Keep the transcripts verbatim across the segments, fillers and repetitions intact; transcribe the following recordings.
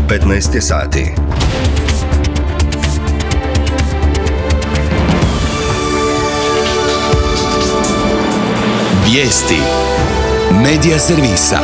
petnaest je sati. Vijesti Medija servisa.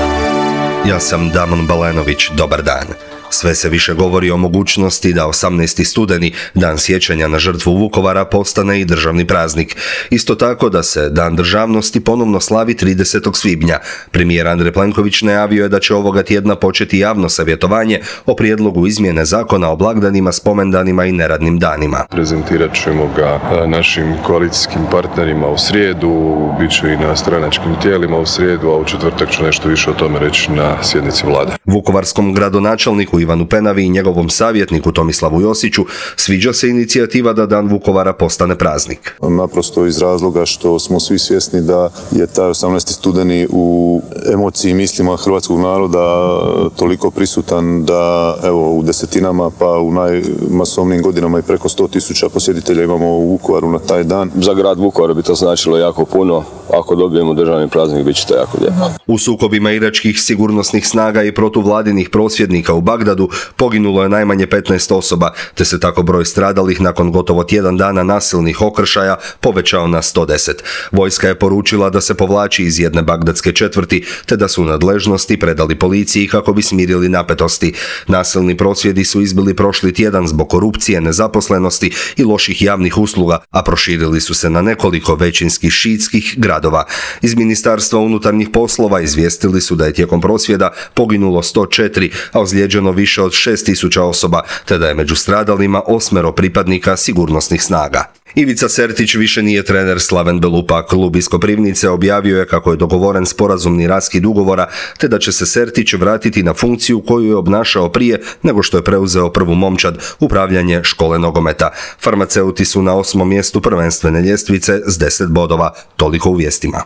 Ja sam Damon Balenović, dobar dan. Sve se više govori o mogućnosti da osamnaesti studeni, dan sjećanja na žrtvu Vukovara, postane i državni praznik. Isto tako da se Dan državnosti ponovno slavi tridesetog svibnja. Premijer Andrej Plenković najavio je da će ovoga tjedna početi javno savjetovanje o prijedlogu izmjene zakona o blagdanima, spomendanima i neradnim danima. Prezentirat ćemo ga našim koalicijskim partnerima u srijedu, bit će i na stranačkim tijelima u srijedu, a u četvrtak ću nešto više o tome reći na sjednici vlade. Vukovarskom gradonačelniku Ivanu Penavi i njegovom savjetniku Tomislavu Josiću sviđa se inicijativa da Dan Vukovara postane praznik. Naprosto iz razloga što smo svi svjesni da je taj osamnaesti studeni u emociji i mislima hrvatskog naroda toliko prisutan da evo u desetinama pa u najmasovnijim godinama i preko sto tisuća posjetitelja imamo u Vukovaru na taj dan. Za grad Vukovar bi to značilo jako puno. Ako dobijemo državni praznik, bit će to jako lijepo. U sukobima iračkih sigurnosnih snaga i protuvladinih prosvjednika u Bagdadu poginulo je najmanje petnaest osoba, te se tako broj stradalih nakon gotovo tjedan dana nasilnih okršaja povećao na sto deset. Vojska je poručila da se povlači iz jedne bagdadske četvrti, te da su nadležnosti predali policiji kako bi smirili napetosti. Nasilni prosvjedi su izbili prošli tjedan zbog korupcije, nezaposlenosti i loših javnih usluga, a proširili su se na nekoliko većinskih šiitskih gradova. Iz Ministarstva unutarnjih poslova izvijestili su da je tijekom prosvjeda poginulo sto četiri, a ozlijeđeno više od šest tisuća osoba, te da je među stradalima osmero pripadnika sigurnosnih snaga. Ivica Sertić više nije trener Slaven Belupa. Klub iz Koprivnice objavio je kako je dogovoren sporazumni raskid ugovora, te da će se Sertić vratiti na funkciju koju je obnašao prije nego što je preuzeo prvu momčad, upravljanje škole nogometa. Farmaceuti su na osmom mjestu prvenstvene ljestvice s deset bodova. Toliko u vijestima.